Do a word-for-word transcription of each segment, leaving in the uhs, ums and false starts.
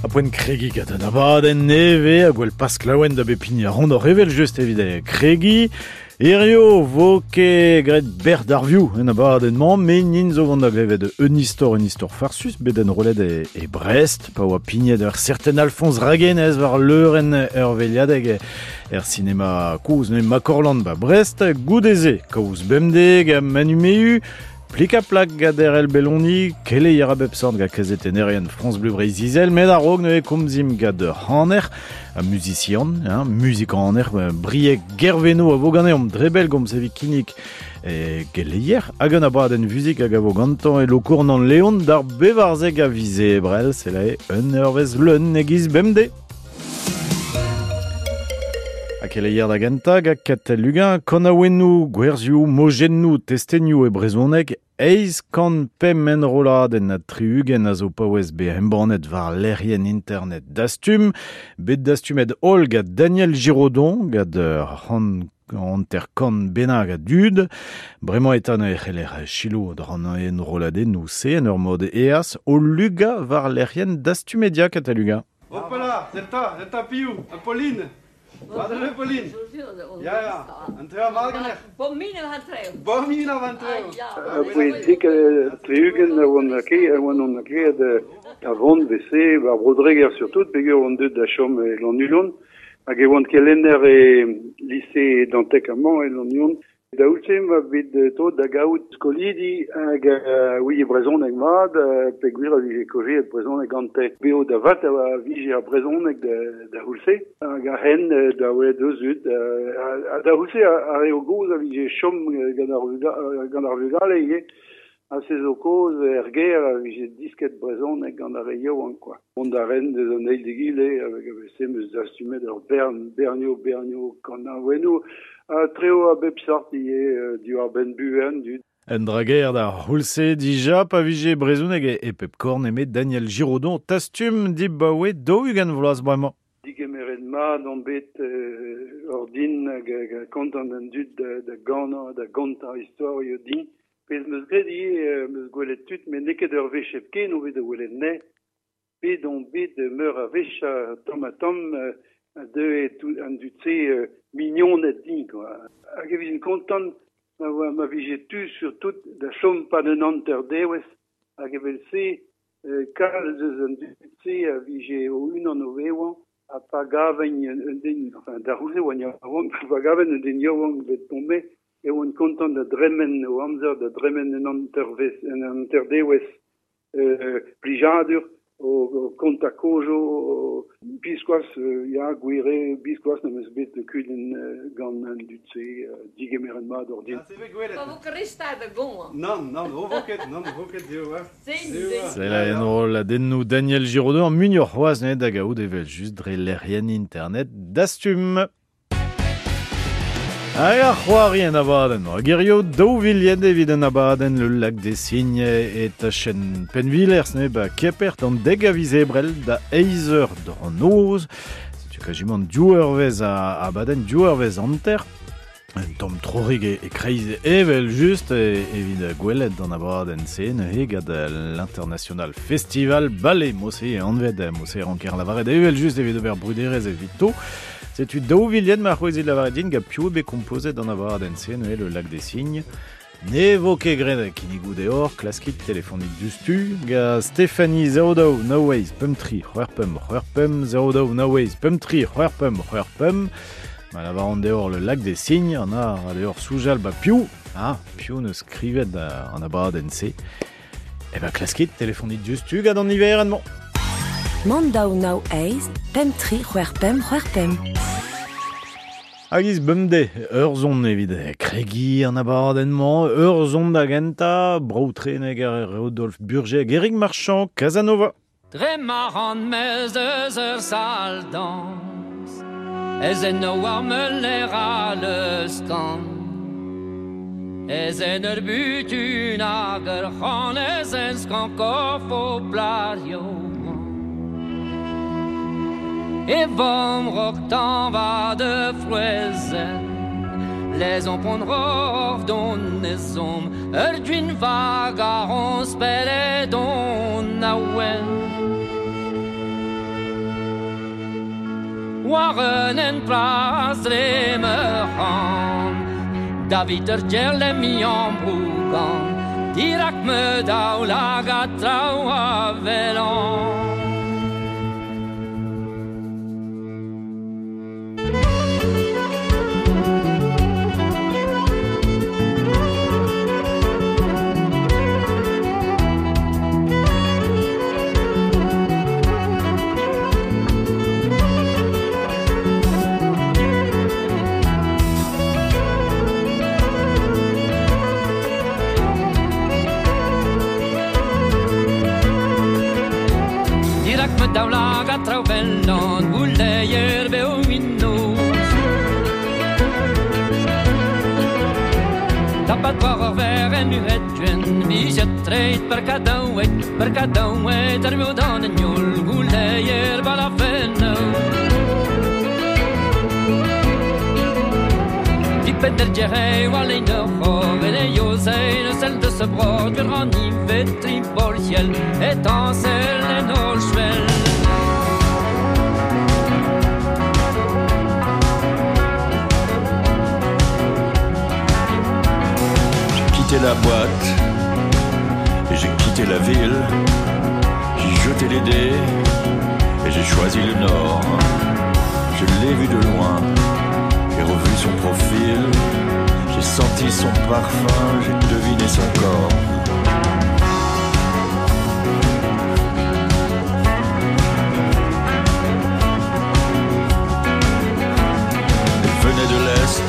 A poent kregi gant an abadenn neve a gwell pas klaouen da bepini a rond ur evel just evit kregi. Hirio vo ket graet ber d'ar vioù en abadenn-mañ, met nin zo gant da glevet un istor, un istor farsus, bet en rolet e, e Brest, pa oa pignet ur certain Alphonse Raguenez war leurenn ur veliadeg er sinema koz ne Makorland ba Brest, goudeze, kaoz bemdeg ha Manu Mehu, Plik a plak gant Erel Belloni, kele yara bep sort gant kazetennerien France Bleu Breiz-Izel, met a-raok neuze komzim gant ur c'haner, a musician, hein, musikaner, Brieg Gerveno a vo ganeomp drebel gomz evit kinnig e geleier, hag an abadenn vuzik hag a vo gantañ e Lokournan Leon d'ar bevarzeg a vize ebrel, c'est la un eurvez leun egiz bemde. A keleier da gentañ gant Katell Lugan, kanaouennoù, gwerzioù, mojennoù, testenioù e brezhoneg, eizh kant pemp enrolladenn ha tri-ugent a zo paouez bet embannet war lec'hienn internet Dastum, bet dastumet holl gant Daniel Giraudon, gant ur c'hant hanter kant bennak a dud. Bremañ eta neuze e c'heller selaou dran enrolladennoù se en ur mod eas o luga war lec'hienn Dastumedia Katell Lugan. Hop là, zeta, zeta piou, Apolline. Wat Pauline? Ja, ja. An treo malganer. Bomine van treo. Bomine van treo. Poent dik tri-ugent a oan ake, a oan on ake da vont bese, war Brodreger surtout, peogwir oan deuet da chom e Lannuon, hag e oan kelenner e lycée Dantec amañ e Lannuon. Da oulse ma bet to da gaout skolidi hag uh, oui brezhoneg mat, uh, peogwir a vije kojeet brezhoneg gante. Beo da vat a vije ar brezhoneg da, da oulse, hag a hen da welet eus ud. Uh, da oulse a re o goz a vije chom gant ar, gant ar vugale ivez. Ha se zo koz er ger a vije disket brezhoneg gant ar re yaouank quoi. Mont da ren deus an eil d'egile hag a vese meus dastumet ur bern, bernio, bernio, kanaouennoù. A treo a bep sort ivez diwar benn buan du. Un drager da c'houlse dija pa vije brezhoneg e pep korn eme Daniel Giraudon tastum dibaoe daou-ugent vloaz bremañ. Digemeret mat on bet euh, ordin hag hag kontant an dud da, da ganañ, da gontañ istorio din. Pezh meus graet ivez meus gwelet tud, met n'eo ket ur wech hepken o bet da welet ne. Bet on bet meur a wech tamm ha tamm a deue tout an dud-se euh, mignoned din, quoi. Hag e vijen kontant ma, ma vije tu surtout da chom pa d'un hanter dewez hag evel-se euh, kalz eus an dud-se a vije o unan o vevañ ha pa gaven un den, enfin da c'houze oan yaouank, pa gaven un den yaouank bet tombé e oan kontant da dremen o amzer, da dremen un hantervez, un hanter dewez euh, plijadur o, o konta kojo, o, biskoaz, euh, ya, gwire, biskoaz n'em eus bet kudenn euh, gant an dud-se, euh, digemeret mat ordin. Ah, c'est bet gwelet. Pa vo kristad da goñ. Non, non, o vo ket, non, vo ket eo, hein. Sin, Eo, sin. C'est la enrolladennoù Daniel Giraudon, muioc'h c'hoazh neuze da gaout evel just dre lec'hienn internet Dastum. Hag ar c'hoari en abadenn. Hag hirio daou vilien evit an abadenn le lac des Cygnes e tachenn Penvilers ne ba Kepert an deg a viz ebrel da eizh eur d'an noz. Setu kajimant div eurvezh a abadenn, div eurvezh hanter. Un tamm trorig e, e kreiz evel just e, evit gwelet an abadenn se neuze gant l'International Festival Ballet Mose e anvet Mose ranker lavaret evel just evit ober bruderezh evito. Setu daou vilien ma c'hwezit lavaret din gant piv bet kompozet an abadenn se neuze le lac des Cygnes. Ne vo ket graet kinnigoù deoc'h, klaskit telefonik dustu ga Stéphanie zéro daou nav eizh pemp tri c'hwec'h pemp c'hwec'h pemp zéro daou nav eizh pemp tri c'hwec'h pemp c'hwec'h pemp. Ma lavaran deoc'h le lac des Cygnes, an a ra deoc'h soujal ba piv, ah, piv neus skrivet an abadenn se. E ba klaskit telefonik dustu gant an niverenn-mañ. Mont daou nav eizh pemp tri c'hwec'h pemp c'hwec'h pemp. Hag iz bemde, ur zon evit kregi an abadenn-mañ, ur zon da gentañ, brav treneg ar Rodolphe Burger, Eric Marchand, Casanova. Dre ma ran mez eus ur sal dans, ez en o ar meuler a leus kan. Ez en ur butun hag ur c'han, ez en skank korf o plario. E vom rok tan va de frouezen, les on pon rov don ezom, ur dwin vag a ron spele don a wen. War un en plas dre mechan David ur gerle mi an brougan Dirak me daou laga traoù a velan. Daoulaga traoù vellan, gouleier beo minnoz. Tapat war ur ver en uhet gwenn, vijet treit per kadaouet, per kadaouet ar meo dan en yol, gouleier balafennou. Dipet der djerei war lein ur c'hor, et e yozein eus el deus brod, ur an ivet tri bolciel, étincelle en ol chvel. J'ai quitté la boîte et j'ai quitté la ville. J'ai jeté les dés et j'ai choisi le nord. Je l'ai vu de loin, j'ai revu son profil. J'ai senti son parfum, j'ai deviné son corps. Elle venait de l'Est,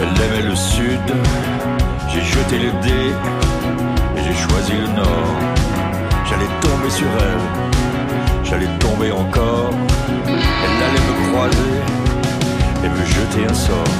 elle aimait le Sud. J'ai jeté le dé et j'ai choisi le Nord. J'allais tomber sur elle, j'allais tomber encore. Elle allait me croiser et me jeter un sort.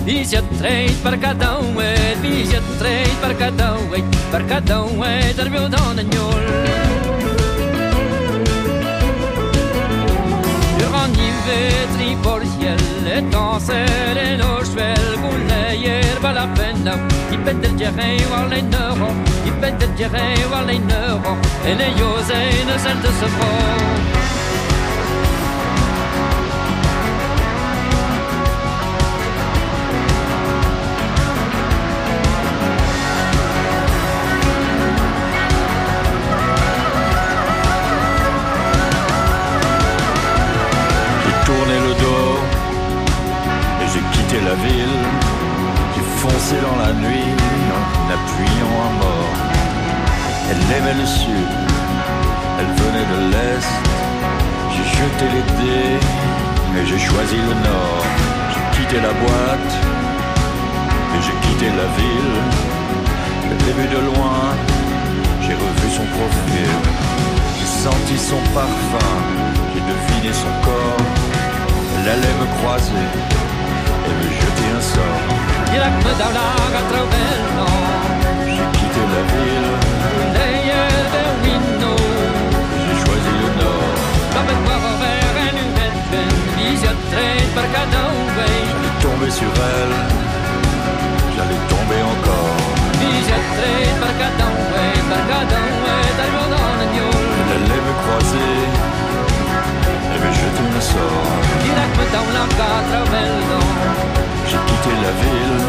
Vijet treit per kadaouet, vijet treit per kadaouet, per kadaouet ar meo dan en yol. Ur an ivet tri bolciel, étincelle en o chvel, gouleier balafennaou, dipet del djerei war lein ur, dipet del djerei war lein ur, en e yozein eus el deus bro. La ville, j'ai foncé dans la nuit en appuyant à mort. Elle aimait le sud, elle venait de l'est. J'ai jeté les dés et j'ai choisi le nord. J'ai quitté la boîte et j'ai quitté la ville. Je l'ai vue de loin, j'ai revu son profil. J'ai senti son parfum, j'ai deviné son corps. Elle allait me croiser et me jeter un sort. J'ai quitté la ville, j'ai choisi le nord. J'allais tomber sur elle, j'allais tomber encore. Elle allait me croiser et me jeter un sort. J'ai quitté la ville,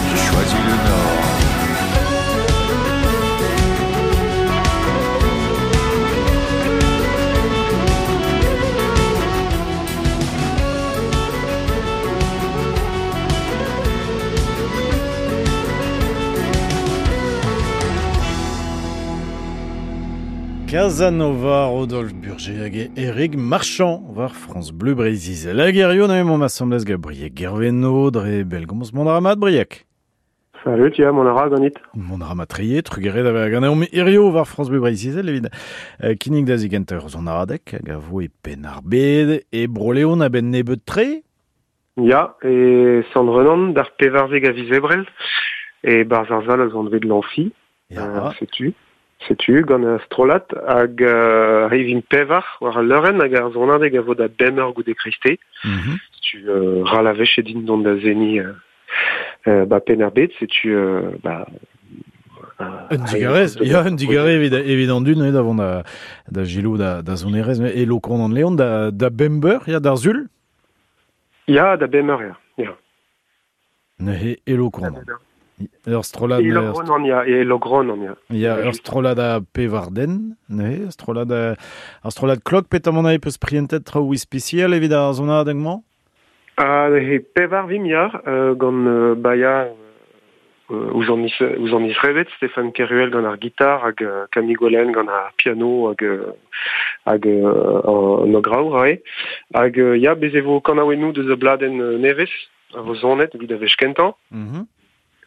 j'ai choisi le nord. Casanova, Rodolphe Burger hag Eric Marchand war France Bleu Breizh-Izel. Hag hirio neuze mont asambles gant Brieg Gervenno dre Belgomz mont a ra mat, Brieg. Salut, ya, mont a ra ganit. Mont a ra mat tre, trugare da vezañ ganeomp hirio war France Bleu Breizh-Izel evit euh, kinnig da zigentañ ur sonadeg hag a vo e Penn-ar-Bed e Bro-Leon a-benn nebeut tre. Ya, e Sant-Renan d'ar pevarzek a viz Ebrel e barzh ar sal a zo anvet l'Amphi. Ya. Euh, setu. Setu, gant ar strollad hag euh, arrivin pevar war al leurenn hag ar sonadeg a vo da bemp eur goude kreisteiz. Mm-hmm. Setu euh, ral a wech edin dont da zeni euh, euh, ba Penn-ar-Bed, setu euh, ba... Un digarez, ya, un digarez evit, evit an dud, da vont da, da gilo da, da sonerez, e Lokronan an Leon da, da bemp eur, ya, d'ar sul? Ya, da bemp eur, ya. Ya. Neuze e Lokronan. Ur strollad... E Lokronan, ya, e Lokronan, ya. Ya, ur strollad a pevar den, neuze, ur strollad a, ur strollad klok, petamant a peus prientet traoù ispisial evit ar sonadeg-mañ? Ah, neuze pevar vim, ya, euh, gant euh, Baia euh, ouzh an is, ouzh an isrevet, Stéphane Keruel gant ar gitar, hag euh, Camille Golen gant ar piano, hag, hag euh, an ograour, rae. Hag, euh, ya, bez e vo kanaouennoù deus a bladenn euh, nevez, a vo zonet evit a wech kentañ. Mm-hmm.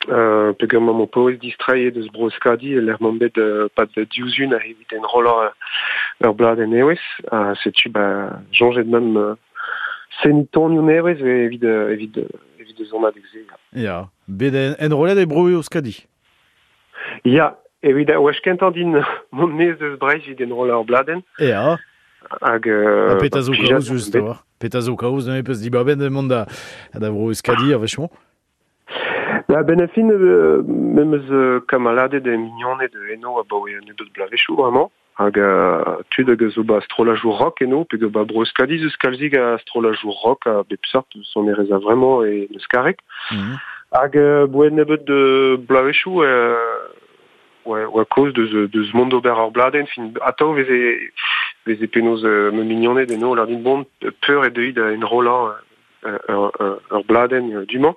Euh, peogwir emañ o paouez distreiñ deus Bro-Euskadi, e lec'h m'omp bet euh, pad div zun a evit enrollañ ur bladenn nevez. Ha setu, ba, soñjet meump euh, seniñ tonioù nevez evit, evit, evit eus sonadeg-se. Ya, bet enrollet e Bro-Euskadi. Ya, evit a wech kentañ din mont maez deus Breizh evit enrollañ ur bladenn. Ya. Hag, euh, Ha petra zo ba, kaoz plijadur just bet. a-walc'h. Petra zo kaoz neuze peus dibabet mont da, da Bro-Euskadi ar wech-mañ? Ba, ben a fin, euh, me'm eus euh, kamaladed e mignoned eno abaoe nebeut bloavezhioù bremañ. Hag euh, tud hag a zo ba strollajoù rock eno, pe ba Bro-Euskadi eus kalzik a strollajoù rock a bep seurt sonerezh a vremañ e euskareg. Mm-hmm. Hag euh, boe nebeut de bloavezhioù euh, oa, oa kaoz deus, deus mont d'ober ur bladenn, fin atav veze, veze penaos euh, ma mignoned eno lâr din bon peur e deuit da enrollañ euh, ur, ur, ur bladenn euh, du-mañ.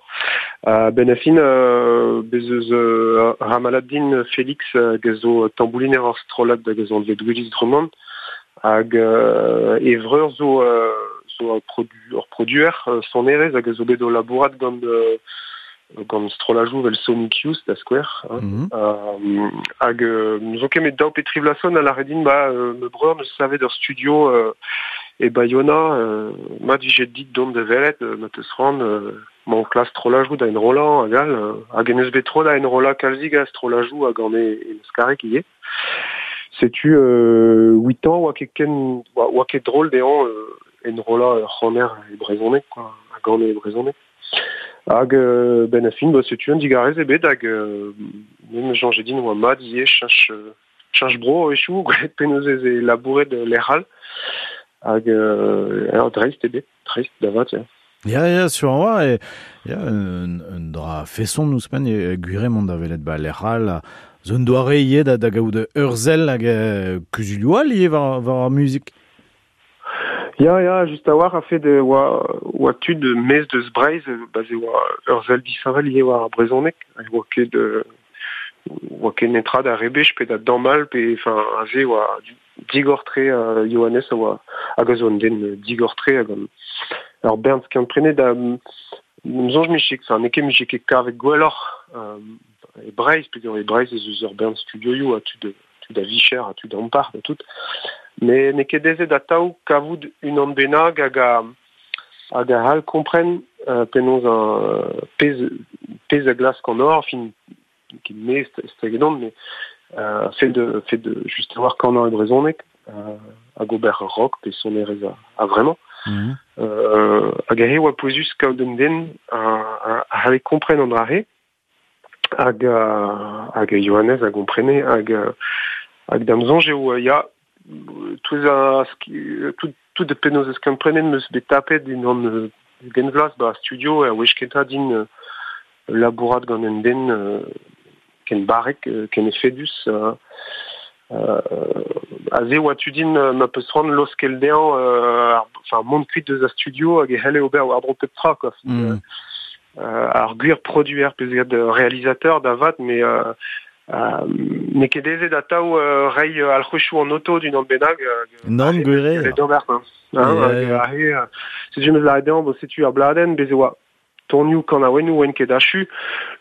Uh, ben a fin, euh, bez eus euh, ramalad din Félix hag a zo tambouliner ur strollad hag a zo anvet Willis Drummond hag euh, e vreur zo, euh, zo ur produ, ur produer euh, sonerezh hag a zo bet o labourat gant euh, gant strollajoù vel Sonic Youth da skouer. Hein. Mm-hmm. Euh, hag euh, zo ket met daou pe tri vloaz a lâret din ba euh, me breur neus savet ur studio euh, e Bayona, euh, mat vije dit dont da welet, euh, ma teus c'hoant, euh, mañ klas strollajoù da enrollañ hag all, euh, hag en eus bet tro da enrollañ kalzik a strollajoù hag an e, e euskareg ivez. Setu euh, huit ans oa ket ken, oa, oa ket drôle dezhañ euh, enrollañ ur c'haner e brezhoneg, quoi, hag an e brezhoneg. Hag euh, ben a fin, ba, setu un digarez ebet hag euh, me soñje din oa mat ivez cheñch, cheñch bro a-wechoù, gwelet penaos ez e labouret lec'h all. Hag euh, alors dreist ebet, dreist da vat, ya. Ya, ya, sur an oa, e, ya, un, un dra feson ouzhpenn e gwire mont da welet ba lec'h all, zo un doare ivez da, da gaout ur sell hag euh, kuzulioù all ivez war, war ar muzik. Ya, ya, just a-walc'h a fed oa, oa tud maez deus Breizh, ba ze oa ur sell disheñvel ivez war ar brezhoneg, hag oa ket, euh, oa ket netra da rebech pe da damall pe, enfin, aze oa digor-tre euh, Johannes a oa hag a zo un den digor-tre hag an ur bern skiant-prenet da soñj mije, enfin, n'eo ket mije ket kavet gwelloc'h euh, e Breizh, peogwir e Breizh ez eus ur bern studioioù ha tud, tud a vicher ha tud ampart ha tout. Mais n'eo ket aezet atav kavout unan bennak hag a, hag a c'hall kompren euh, penaos un pezh, pezh a glask an hor, fin, ket me estregedon, mais euh, fait de, fait de just a-walc'h kanañ e brezhoneg, euh, hag ober rock pe sonerezh a, a vremañ. Mm-hmm. Euh, hag aze oa pouezus kaout un den a, a, a c'halle kompren an dra-se, hag, uh, hag Johannes a gomprene, hag, hag da'm soñj eo, ya, tout a, tout, tout penaos eus komprenet meus bet tapet din an euh, genvlas ba studio a wech kentañ din euh, labourat gant un den euh, ken barrek, euh, ken efedus, euh, euh, aze oa tu din euh, ma peus c'hoant laoskel dezhañ, euh, ar, enfin, mont kuit deus a studio hag e c'helle ober war-dro pep tra, quoi. Mm. Euh, ar gwir produer pe zet réalisateur da vat, mais euh, euh, N'eo ket aezet atav euh, reiñ euh, alc'hwezhioù an oto d'unan bennak. Euh, Nann, gwir eo. D'ober, hein. Hein, hag aze, euh, setu 'm eus lâret dezhañ, bon, setu ar bladenn, bez e oa tonioù kanaouennoù oant ket achu,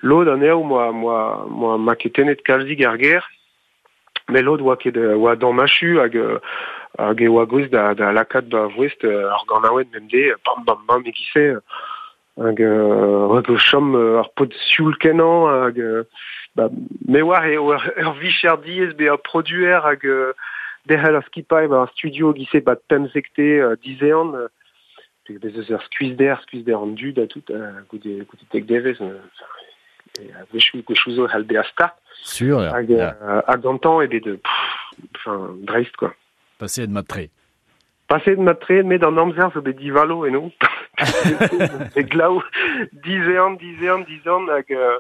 lod anezho moa, moa, moa maketennet kalzik ar gêr, met lod oa ket oa damm achu hag hag e oa gouest da, da lakaat ba voest ar ganaouenn bemdez, bam bam bam e-giz-se, hag hag o chom ar paotr sioul kenañ hag ba, me oar eo ur, ur vicher diaes bezañ produer hag derc'hel ar skipailh ba ar studio e-giz-se bat pemzekte dizehan, bez eus ur skuizhder, skuizhder an dud ha tout, goude, goude dek devezh, a-wechoù gwechoù zo c'hall bezañ start. Sur, ya. Hag, hag gantañ eo bet, enfin, dreist, quoi. Paseet mat-tre. Paseet mat-tre, met an amzer zo bet divalo eno. E glav, dizehan, dizehan, dizehan, hag euh,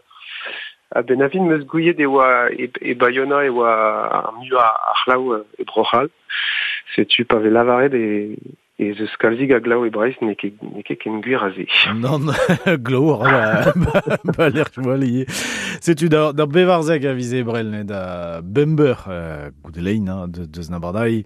a-benn ar fin 'm eus gouiet e oa e, e Bayona e oa ar muiañ a c'hlav e Bro-C'hall. Setu pa vez lavaret e ez eus kalzik a glav e Breizh n'eo ket, n'eo ket ken gwir a se. Nann, glav a ra ba lec'h voa ivez. Setu da, da bevarzek a viz Ebrel, ne, da bemp eur euh, goude lein, hein, de, deus n'abardailh,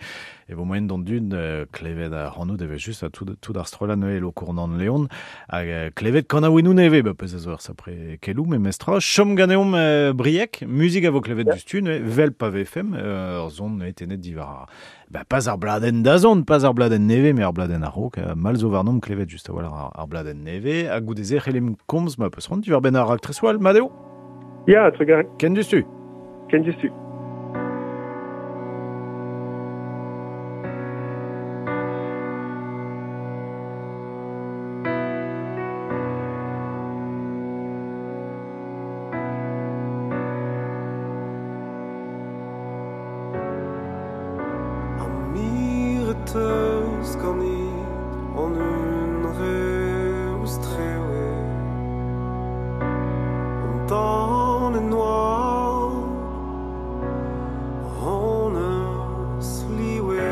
e vo moaien d'an dud euh, klevet ar c'hanoù eve just a tout, tout ar strollad neuze Lokournan Leon, hag euh, klevet kanaouennoù nevez, ba pezh a zo ur sapre kelou, me mestra. Chom ganeomp euh, Brieg, muzik a vo klevet yeah. dustu, neuze, vel pa vefem, euh, ur zon neuze tenet diwar ar, ba, pas ar bladenn da zont, pas ar bladenn nevez, mais ar bladenn a-raok, euh, mal zo warnomp klevet just a-walc'h ar, ar bladenn nevez, hag goude-se c'hellimp komz ma peus c'hoant diwar benn ar raktres wall, mat eo? Ya, trugarez. Ken dustu. Ken dustu. Teus ganit an hunvre ouzh trewe an tan en noa hon eus liwe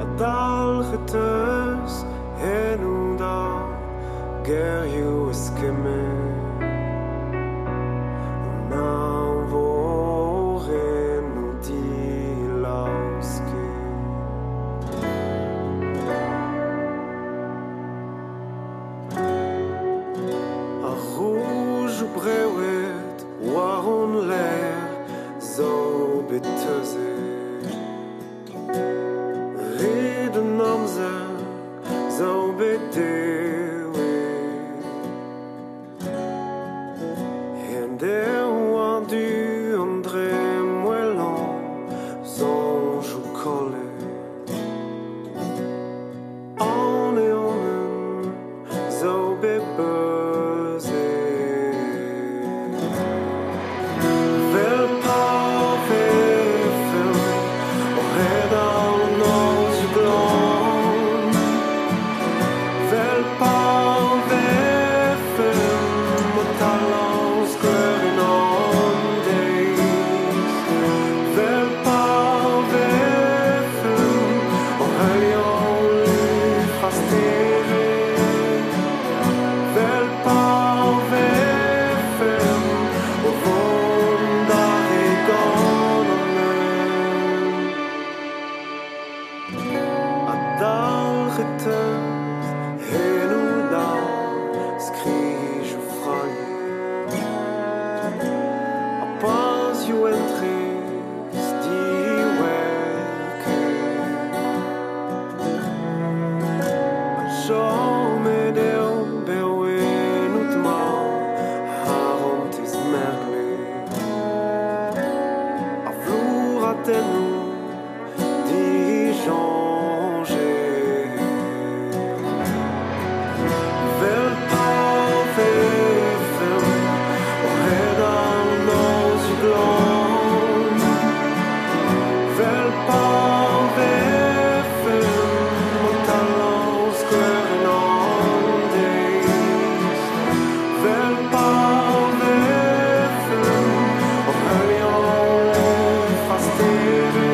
a dalc'het teus en da gerioù eskemmet an añvorennoù dilaosket. Ar roujoù brewet war hon lec'h zo bet teuzet. Red an amzer zo bet dewet. En dev an du an dremmwellañ soñjoù kollet. An eonenn zo bet beuzet. Vel pa vefemp o redal an nozioù glan. Vel pa vefemp o talañ skleurenn an deiz. Vel pa vefemp o heuliañ lufr ar stered. Vel pa vefemp o vont d'ar re gant an hent. Ha dalc'het teus eno da skrijoù frailhet. Ha pazioù entrez diwerket. Ha chomet eo bev ennout ma harantez merglet. Ar flouratennoù disoñjet. Vel pa vefemp o redal an nozioù glan. Vel pa vefemp o talañ skleurenn an deiz. Vel pa vefemp o heuliañ lufr ar stered.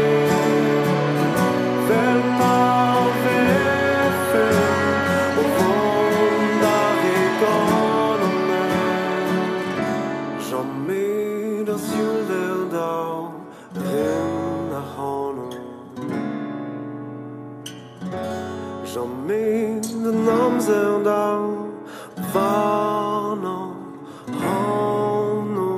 Jamais an amzer da varnañ hano.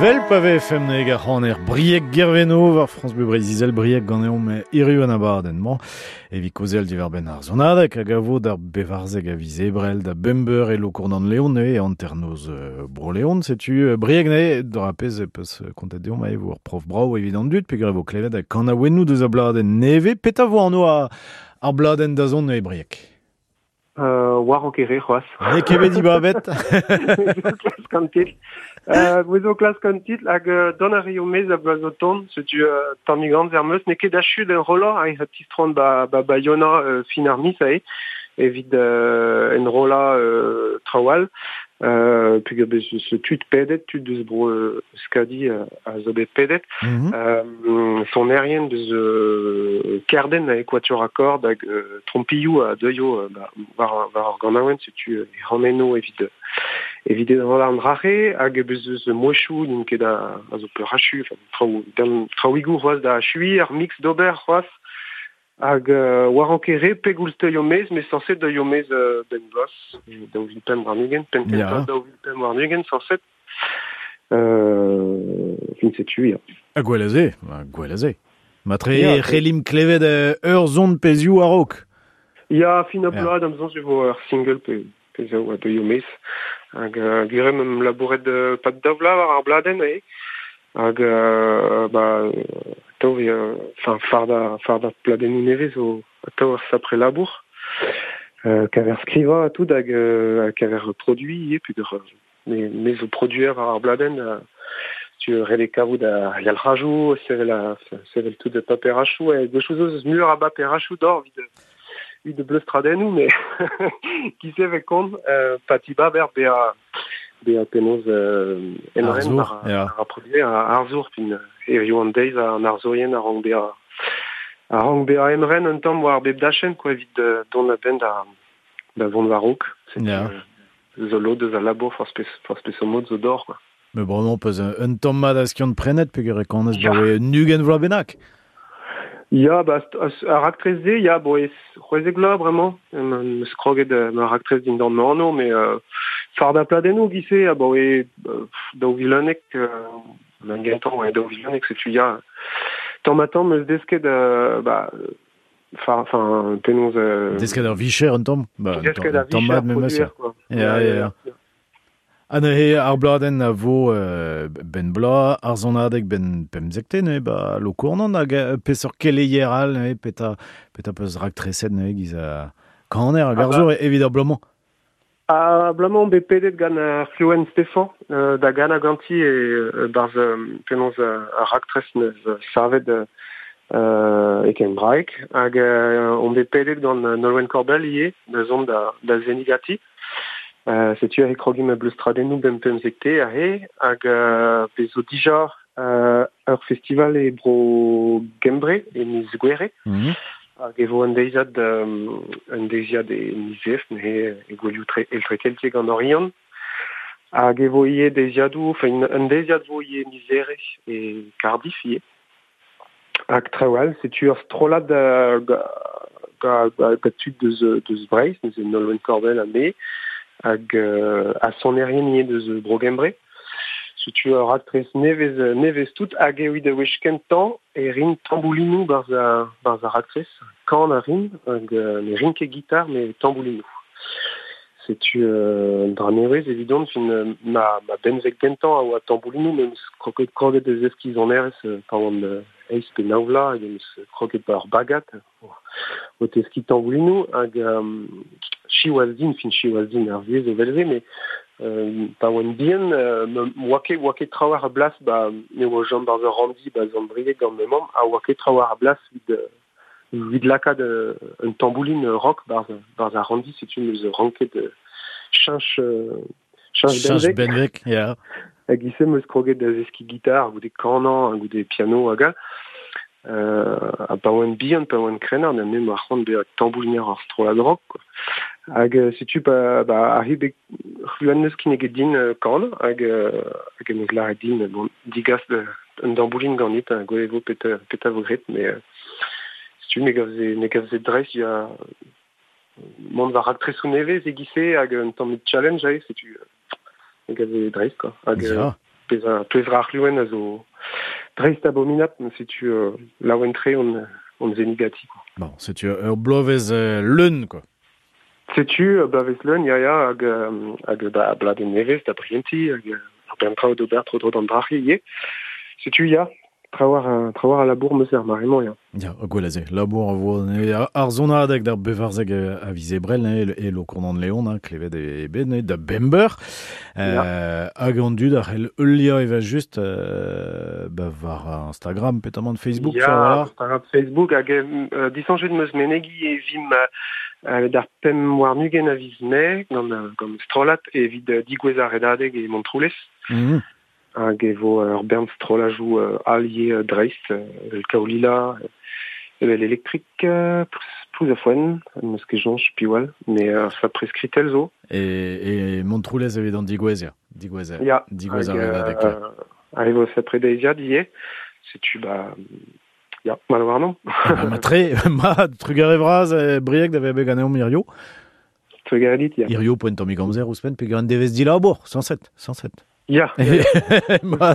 Vel pa vefem neg ar c'haner Brieg Gerveno war France Bleu Breizh-Izel Brieg ganeomp hiziv an abadenn-mañ evit kaozeal diwar-benn ar sonadeg hag a vo d'ar bevarzeg a viz Ebrel da bemp eur e Lokournan-Leon e hanternoz Bro-Leon. Setu Brieg ne dra pezh e peus kontet deomp e vo ur prof brav evit an dud peogwir e vo klevet ha kanaouennoù deus a bladenn nevez. Petra vo anv ar bladenn da zont e Brieg? Euh, war an kere c'hoazh. N'eo ket bet dibabet. Klask an titl. Euh, Gwezo klask an titl hag euh, don a rio mez a bloaz o tont, setu euh, tammig amzer meus, n'eo ket achu d'en rollañ hag a tistron ba, ba, ba Yona euh, fin ar miz ae, evit euh, enrollañ euh, traoù all. Euh, peogwir bez eus tud pedet, tud deus bro euh, Euskadi euh, a zo bet pedet. Mm-hmm. Euh, sonerien deus euh, Kerden a Quatuor à cordes hag euh, trompilloù a deuio euh, ba, war, war ar ganaouenn, setu euh, ranenno evit evit enrollañ an drac'he, hag bez eus mouezhioù n'int ket a, a zo peurachu, enfin, traoù, dan, traoùigoù c'hoazh da achuiñ, ar mix d'ober c'hoazh. Hag euh, war an kere pegoulz teuio mez, mais sañset teuio mez euh, ben bloaz, daou vil pemp warn-ugent, penn kentañ daou vil pemp warn-ugent, sañset. Euh, fin setu, ya. Ha gwell a se, gwell a se. Matre yeah, c'hellim klevet ur zon pezhioù a-raok. Ya, fin a bloaz, da'm soñj e vo ur single pe, pezhioù a deuio mez. Hag euh, gwir eo em labouret euh, pad daou vloaz war ar bladenn, eo. Hag euh, ba atav enfin farda farda pladennoù nevez zo atav ar sapre labour euh, kaver skrivañ ha tout hag euh, kaver produiñ ivez peogwir me me zo produer war ar bladenn euh, tu ret eo kavout a yalc'hajoù sevel a sevel tout de paperachoù hag gwechoù zo eus muioc'h a baperachoù d'or evit evit bleustradennoù mais ki se vez kont euh, pati baber bezañ bezañ penaos euh, emren war ar produer arzour pin hiziv an deiz an arzourien a rank bezañ a rank bezañ emren un tamm war bep dachenn quoi evit dont a-benn da da vont war-raok. Yeah. Zo lod eus al labour forzh pes forzh peseurt mod zo d'or quoi. Mais bon, non, peus un tamm mat a skiant prenet peogwir e kanez baoe un ugent vloaz bennak. Ya, ba, ar raktres-se, ya, bon, e c'hwezek vloaz bremañ, em eus kroget ma raktres dindan ma anv, mais euh, fardañ pladennoù giz-se, abaoe daou vil unnek, euh, gentañ, ouais, daou vil unnek, setu ya, tamm ha tamm eus desket, euh, ba, enfin, penaos... Euh, desket ar vicher un tamm, ba, desket ar vicher produer, quoi. Ya, ya, ya. Ha neuze ar bladenn a vo euh, ben bloaz, ar sonadeg ben pemzekte neuze, ba Lokournan hag peseurt keleier all neuze, petra, petra peus raktreset neuze giz a kaner hag arzour evit ar bloaz-mañ. A blamañ bet pedet gant ar C'hloen Stefan euh, da gana ganti e euh, barz euh, penaos euh, ar raktres neus savet euh, e Kembraeg hag euh, on bet pedet gant Nolwenn Korbell ivez da zont da, da zenigati. Euh, setu ar e krogim a bleustradennoù bem pemzekte ahe hag euh, bezo dija euh, ur festival e bro Gembre e miz Gouere. Mm -hmm. Hag e vo un deiziad, um, un deiziad e miz Esk, neuze e gouelioù tre, eltre-keltiek an Oriant. Hag e vo ivez deiziadoù, enfin un deiziad vo ivez miz Here e Cardiff ivez. Hag traoù all, setu ur strollad uh, ga, ga, ga, ga tud deus, deus Breizh, neuze Nolwenn Korbell ha me, hag uh, ha sonerien ivez deus Bro Gembre. Setu ur raktres nevez, nevez tout hag evit a wech kentañ e rin tamboulinoù barzh ar, barzh ar raktres, kan a rin, hag euh, ne rin ket gitar, mais tamboulinoù. Setu euh, un dra nevez evidon, fin euh, ma, ma benveg gentañ a oa tamboulinoù, met eus kroget kroget eus eskiz an erez euh, pa oan euh, eizh pe nav vloaz, hag eus kroget ba ur bagad o, o teskiñ tamboulinoù, hag euh, siwazh din, fin siwazh din ar viez o velze, mais Euh, pa oan bihan, euh, oa ket, oa ket trawar a blas, ba, ne oa Jean Barzer Randi, ba Zandriek gant me mamm, a oa ket trawar a blas vid, vid lakaat euh, un tambouline rock barz, barz ar Randi, setu meus ranket euh, cheñch, euh, cheñch Cheñch benveg. benveg, ya. Hag ise meus kroget da zeskiñ gitar, goude kanañ, goude piano hag all. Euh, ha pa oan bihan, pa oan krennard, ha me ma c'hoant bezañ tambouliner ar strollad rock, quoi. Hag euh, setu pa, ba, arri bet c'hluan neus kinniget din euh, kan, hag, euh, hag em eus lâret din, bon, digas de, un damboulin ganit, ha gwelet vo peta, peta vo graet, mais euh, setu me gavze, me gavze dreist, ya mont war raktresoù nevez e-giz-se hag un tamm challenge aze, setu euh, me gavze dreist, quoi. Hag euh, Ya. pezh a, pezh ra ar c'hloen a zo dreist abominat, setu euh, laouen-tre on, on zenigati, quoi. Bon, setu ur bloavezh euh, leun, quoi. Setu euh, bloavezh leun, ya ya, hag, euh, hag ba, bladenn nevez da brientiñ, hag euh, ar bern traoù d'ober tro-dro d'an drac'hi ivez. Setu ya, trawar, euh, trawar a labour meus er mare-mañ, ya. Ya, gwell aze, labour a vo ne, ar zonadeg d'ar bevarzeg a viz Ebrel, ne, e Lokournan-Leon, hein, klevet e bet, ne, da bember. Euh, hag an dud ar c'hell heuliañ eva just euh, ba war Instagram, petamant Facebook, Ya, sur, voilà. Instagram, Facebook, hag euh, disoñjet meus menegi e vim euh, d'ar pemp warn-ugent a viz Mae, gant, gant strollad evit euh, digouez ar redadeg e Montroulez. Mm -hmm. Hag e vo ur bern strollajoù euh, allié euh, dreist, euh, evel Kaolila, evel Electric, euh, plouz a foenn, n'eus ket soñj piwal, mais euh, fa preskritel zo. E, e Montroulez evit an digouez, ya. Digouez, Ya, digouez hag ar redadeg. euh, hag e vo sapre deiziad ivez, setu ba... Ya, mal warnon. Ah, ma tre, ma trugarez vras, eh, Brieg da vezañ bet ganeomp hirio. Trugarez dit, ya. Hirio poent tammig amzer ouzhpenn, peogwir an devezh dilabour, cent sept, cent sept. Ya. Ma,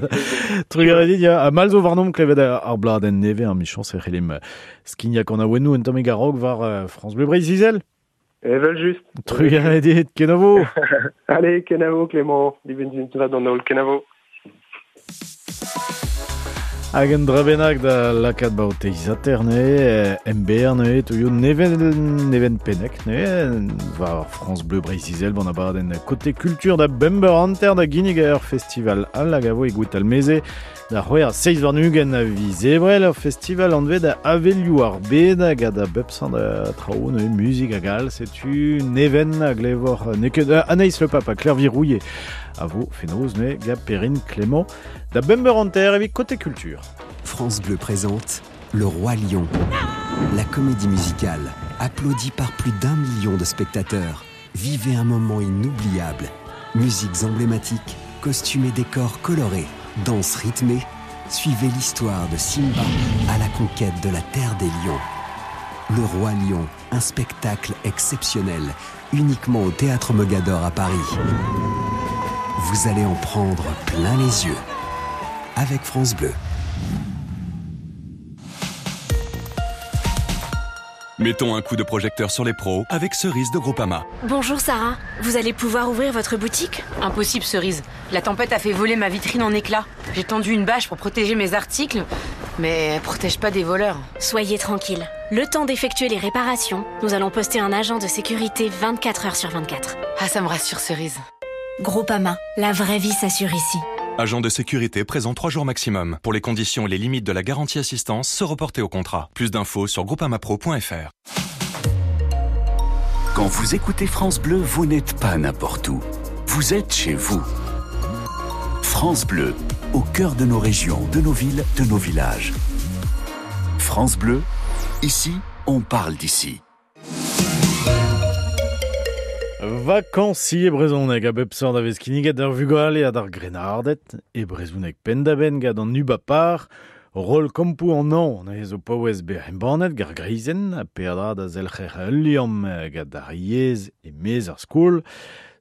trugarez dit, ya. Ha mal zo warnomp klevet ar bladenn nevez, ar michañs e c'hellimp skignañ an awennoù un tammig a-raok war euh, France Bleu Breizh-Izel. Evel just. Trugarez dit, kenavo. Allez, kenavo Clément, dibenn va d'an holl, kenavo. Hag un dra bennak da lakaat ba o teizater ne, M B R ne, touio neven, neven pennek ne, war France Bleu Breizh-Izel ban abadenn Côté Culture da bember hanter da ginnig ur festival all hag a vo e Gwitalmeze da c'hwec'h seizh warn-ugent a viz Ebrel ur festival anvet da Avelioù ar bed hag a da bep seurt da traoù ne, muzik hag all, setu neven a glevor ne ket Anaïs Le Pape a Claire Virouillet a vo fenoz ne gant Perrine Clément da bember hanter evit Côté Culture. France Bleu présente Le Roi Lion, la comédie musicale, applaudie par plus d'un million de spectateurs. Vivez un moment inoubliable. Musiques emblématiques, costumes et décors colorés, danses rythmées. Suivez l'histoire de Simba à la conquête de la terre des lions. Le Roi Lion, un spectacle exceptionnel, uniquement au Théâtre Mogador à Paris. Vous allez en prendre plein les yeux. Avec France Bleu. Mettons un coup de projecteur sur les pros avec Cerise de Groupama. Bonjour Sarah, vous allez pouvoir ouvrir votre boutique ? Impossible Cerise, la tempête a fait voler ma vitrine en éclats. J'ai tendu une bâche pour protéger mes articles, mais elle protège pas des voleurs. Soyez tranquille, Le temps d'effectuer les réparations, nous allons poster un agent de sécurité vingt-quatre heures sur vingt-quatre. Ah, ça me rassure, Cerise. Groupama, la vraie vie s'assure ici. Agent de sécurité présent trois jours maximum. Pour les conditions et les limites de la garantie assistance, se reporter au contrat. Plus d'infos sur groupamapro point f r. Quand vous écoutez France Bleu, vous n'êtes pas n'importe où. Vous êtes chez vous. France Bleu, au cœur de nos régions, de nos villes, de nos villages. France Bleu, ici, on parle d'ici. Vacances e brezhoneg a bep seurt a vez kinniget ar vugale ha d'ar grennarded, e brezhoneg penn-da-benn gant an ubapar, roll kampoù an hañv neuze zo paouez bezañ embannet gar greizenn ha peadra da zelc'her ul liamm gant ar yezh e-maez ar skol.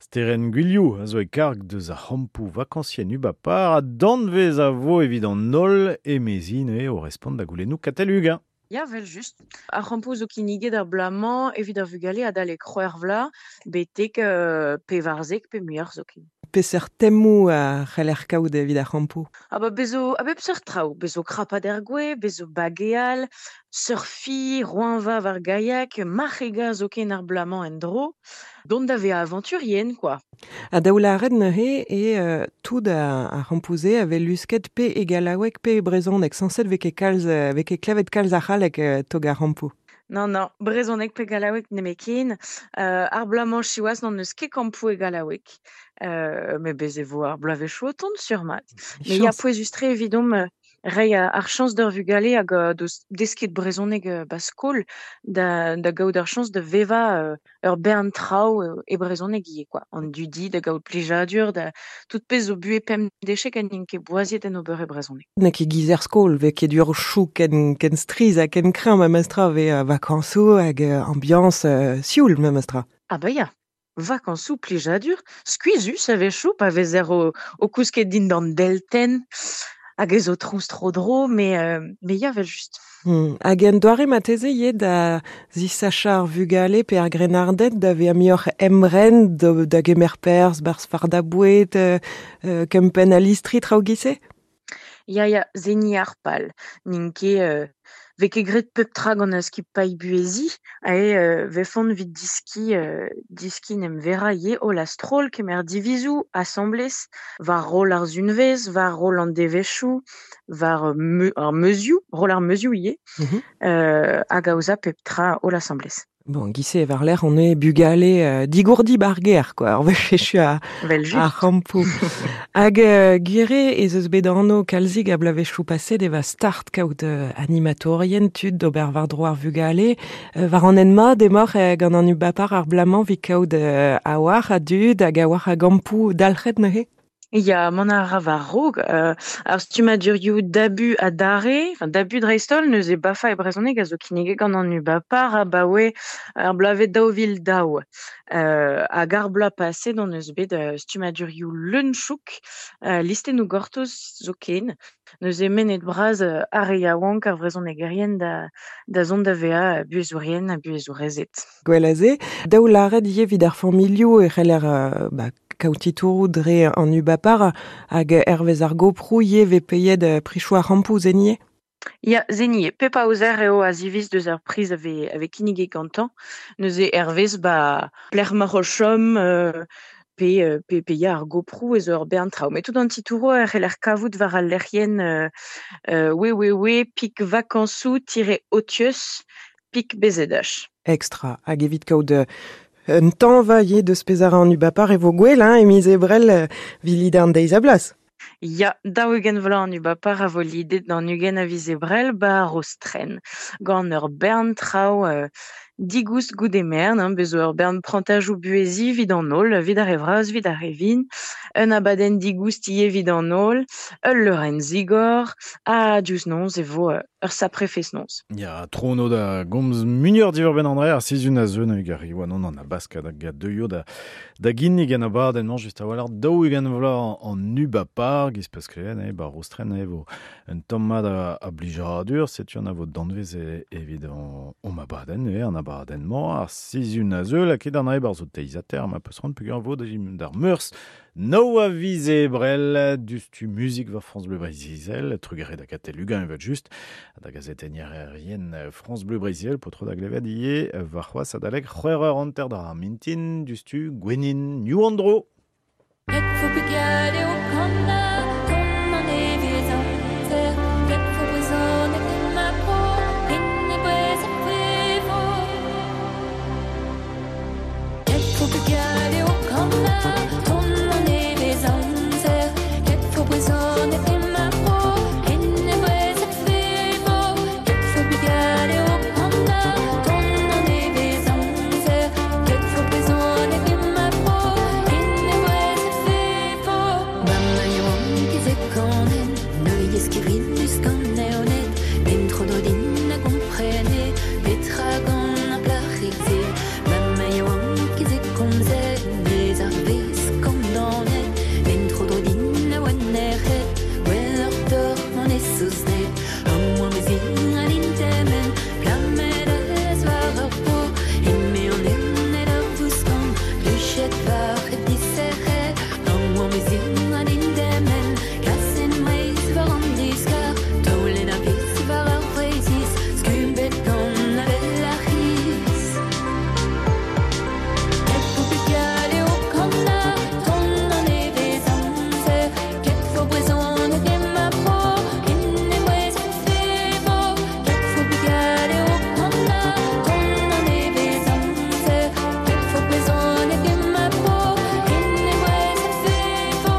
Sterenn Gwilhou a zo e karg deus ar c'hampoù vakañsienn ubapar ha danvez a vo evit an holl emezi neuze o respont da goulennoù Katell Uguen. Ya, vel just. Ar c'hampoù zo kinniget ar blamañ evit ar vugale adalek c'hwec'h vloaz betek euh, pevarzek pe muioc'h zoken. Peseurt temoù a c'heller kaout evit ar c'hampoù? Ah ba bezo a bep seurt traoù, bezo krapat er gwez, bezo bageal, surfi, roeñva war gaiak, marc'hegañ zoken ar blamañ en-dro, dont da vezañ avanturien, quoi. Ha daou lâret neuze e euh, tout ar, ar c'hampoù-se a vez lusket pe e gallaoueg pe e brezhoneg, sañset vez ket kalz, vez ket klevet kalz ar c'halleg euh, tog ar c'hampoù. Non, non, brezhoneg pe gallaoueg nemetken. Euh, ar bloaz-mañ siwazh n'on eus ket kampoù e gallaoueg. Euh, met bez e vo ar bloavezhioù o tont sur mat. Mais ya Chañs. pouezus-tre evidomp euh, reiñ ar chañs d'ur vugale hag euh, deus desket brezhoneg euh, ba skol da, da gaout ar chañs da vevañ euh, ur bern traoù euh, e brezhoneg ivez, quoi. An dudi, da gaout plijadur, da tout pezh zo buhez pemp dechek ha n'int ket boaziet en ober e brezhoneg. N'eo ket giz er skol, vez ket ur chou ken, ken striz ha ken kreñv memestra vez euh, vakañsoù hag euh, ambiance euh, sioul memestra. Ah bah ya, vakañsoù plijadur, skuizhus a-wechoù pa vezer o, o kousket dindan deltenn, hag ez o trouz tro-dro, mais, euh, mais ya vel just. Hmm. Hag en doare mateze ivez da zisachañ ar vugale pe ar grennarded da vezañ muioc'h emren da, da gemer perzh, barzh fardañ boued, euh, euh, kempenn a listri traoù giz-se? Ya, ya, zeni ar pal. N'int ket, euh, vez ket graet pep tra gant ar skipailh buheziñ, ae euh, vefont evit diski, euh, diski n'em vera ivez holl a-stroll kemer divizoù, asambles, war roll ar sunvezh, war roll an devezhioù, war meu, ar meuzioù, roll ar meuzioù ivez, Mhm. euh, hag aozañ pep tra holl asambles. Bon, giz-se war-lerc'h on eo bugale euh, digourdi bar gêr, quoi. Ar wech echu a, Vel just. ar c'hampoù. Hag euh, gwir ez eus bet anv kalzik a bloavezhioù paset e va start kaout euh, animatorien tud d'ober war-dro ar vugale. Euh, war an hent mat emaoc'h euh, gant an ubapar ar blamañ evit kaout euh, a-walc'h a dud hag a-walc'h a gampoù dalc'het neuze? Ya, mont a ra war-raok, euh, ar stummadurioù dabu ha dare, enfin dabu dreist-holl neuze bafa e brezhoneg a zo kinniget gant an ubapar abaoe ar bloavezh daou vil daou. Euh, hag ar bloaz paset on eus bet euh, stummadurioù leun-chouk, euh, listennoù gortoz zoken, neuze mennet bras euh, ar re yaouank ar vrezhonegerien da, da zont da vezañ buhezourien ha buhezourezed. Gwell a se, daou lâret ivez evit ar familhoù e c'heller euh, ba, kaout titouroù dre an ubapar hag hervez ar goproù ivez vez peiet euh, prichoù ar c'hampoù zenier? Ya, zenier, pep aozer eo a ziviz deus ar priz a vez, a vez kinniget gantañ. Neuze hervez ba plec'h ma o chom, euh, pe, euh, pe, pe ya ar goproù ez ur bern traoù. Met tout an titouroù a c'heller kavout war al lec'hienn, euh, euh, www pik vacansoù tiret otius pik B Z H. Extra. Hag evit kaout, euh, un tañva ivez deus pezh a ra an ubapar e vo gwell, hein, e miz Ebrel, euh, vilid an deiz a blas. Ya, daou-ugent vloaz an ubapar a vo lidet d'an ugent a viz Ebrel ba ar Rostren. Gant ur bern traoù, euh, digoust goude mern, hein, bezo ur bern prantajoù buheziñ evit an holl, evit ar re vras, evit ar re vin, un abadenn digoust ivez evit an holl, ul leurenn zigor, ha diouzh noz e vo, euh, ur sapre fest-noz. Ya, trono da gomz muioc'h diwar-benn an dre ar sizhun a zeu hag ar riwa non an abask hag a deuio da, da ginnig an abadenn-mañ just a-walc'h daou-ugent vloaz an ubapar, giz peus klevet, eh, ba Rostren, eh, vo un tamm mat a, a blijadur, setu an a vo danvez e, evit an, an abadenn, eh, an abadenn-mañ, ar sizhun a zeu, lakaet an dre bar zo teizater, ma peus c'hoant peogwir vo da d'ar meurzh No a viz ebrel dustu muzik war France Bleu Breiz-Izel, trugare da Katell Uguen evel just, da gazetennier rien France Bleu Breiz-Izel, potro da glevet ie war c'hoaz adalek c'hwec'h eur hanter d'ar mintin, dustu Gwenin New Andro. Et fo bugale o kanna, ton an evez amzer, et fo brezhoneg en ma bro, en e brez ar vevo. Et fo bugale o kanna, ton an evez amzer, et fo brezhoneg en ma bro, en e brez ar vevo. Et fo bugale o kanna, ton an evez amzer, et fo brezhoneg en ma bro, en e brez ar vevo. Mamma yaouank ez e kanen, neuiez kevrinus gant eonet, den tro do din a gomprene, petra gant ar plac'hig-se. Mamma yaouank ez e komzet, mez ar vez kondaonet, den tro dro din a oa nec'het, gwelloc'h doc'h mont e souznet. Am oa mezin a din temen, plamet ez war ur po, eme an evned a vouskan, luchet war hep diserc'het. Am oa mezin a din temen, kasen meiz war an diskar, taolenn a vez war ar Breizhiz, skubet gant avel ar c'hiz. Et fo bugale o kanna, ton an evez amzer, ket fo brezhoneg en ma bro, en e brez ar vevo. Ket fo bugale o kanna, ton an evez amzer, ket fo brezhoneg en ma bro, en e brez ar vevo.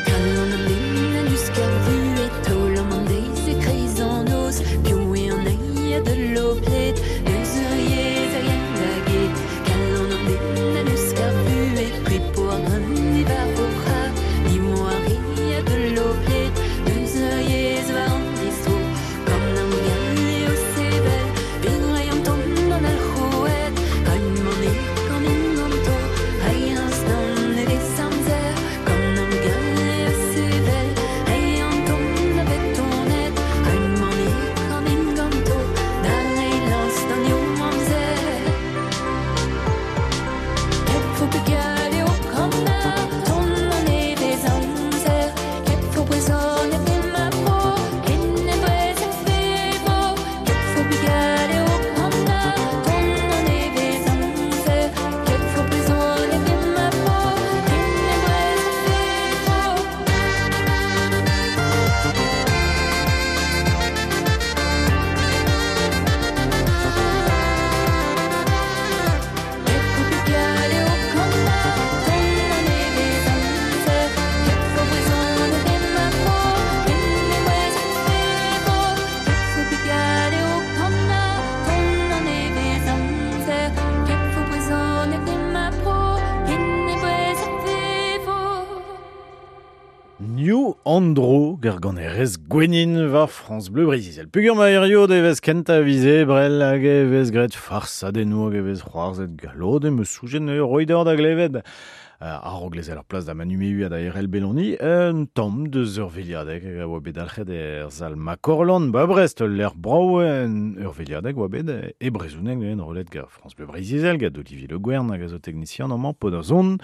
Kalon an den a lusk ar vuhez, taol an an deiz e kreiz an noz, piv eo an eil a deul o pled, eus ur yezh a yen da get. Kalon an den a lusk ar vuhez, pripo ar greun diwar o c'hra, niv ar re a deul o pled, eus ur yezh war an distro. Gant an gall eo sevel, birrai an ton an alc'houed, raim an e kanin ganto, rai az d'an evez amzer. Gant an gall eo sevel, rai an ton a betonet, raim an e kanin ganto, da rei lans d'an eo amzer. Et fo bugale o kanna, ton an evez amzer, ket fo brezhoneg en ma bro, en e brez ar vevo. Ket fo bugale o kanna, ton an evez amzer, ket fo brezhoneg en ma bro, en e brez ar vevo. Et fo bugale o kanna, ton an evez amzer, ket fo brezhoneg en ma bro, en e brez ar vevo. Ket fo bugale o kanna, ton an evez amzer, ket fo brezhoneg en ma bro, en e brez ar vevo. New Andro gerganerez Gwenin war France Bleu Breiz-Izel. Pugur ma hirio devez kenta vize brel hag e vez graet farsadennoù hag e vez c'hoarzhet galod em eus soujen eo roider da glevet. Uh, a-raok lezel ar plas da Manu Mehu ha da Erel Belloni, un tamm deus ur veliadeg hag a oa bet dalc'het er zal Makorlan, ba Brest, l'er brao en ur veliadeg oa bet e brezhoneg en rolet gant France Bleu Breiz-Izel, gant Olivier Le Guern hag a zo teknisian amañ pod ar zon.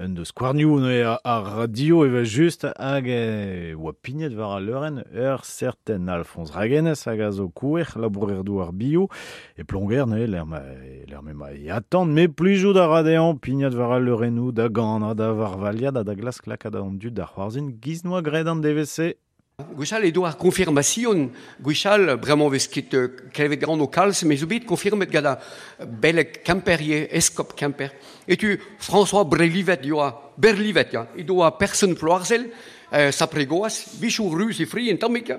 Un deus skouarnioù neuze ar, ar radio evel just hag e oa pignet war al leurenn ur certain Alphonse Raguenez hag a zo kouer labourer douar bio e plonger neuze l'er ma, l'er me ma e attend me plijout a ra dezhañ pignet war al leurennoù da ganañ da varvalia da da glask lakaat an dud da c'hoarzhin giz noa graet an D V C. Gwechall edo ar konfirmasion, gwechall bremañ vez ket klevet gant o kalz, mais zo bet konfirmet gant a beleg Kemper, eskop Kemper. Et tu François Brelivet yoa, Berlivet ya, edo a person Ploarzel, euh, sapregoaz, bichou ruz e fri en tammik,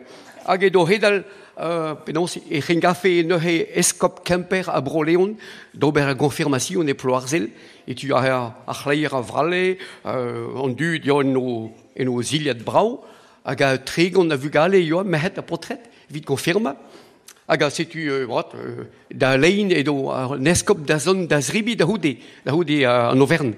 hag edo hedal, euh, penaos e c'hengafe neuze eskop Kemper a Bro-Leon, d'ober a konfirmasion e Ploarzel, et tu a ar c'hleier a vralle, euh, an dud ya en o, en o zilhad brao, hag a tregont a vugale yoa merc'hed ha potret, evit konfirma. Hag a setu euh, brat, euh, da lein edo an eskop da zon da zribi da houde, da houde euh, an Auvergne.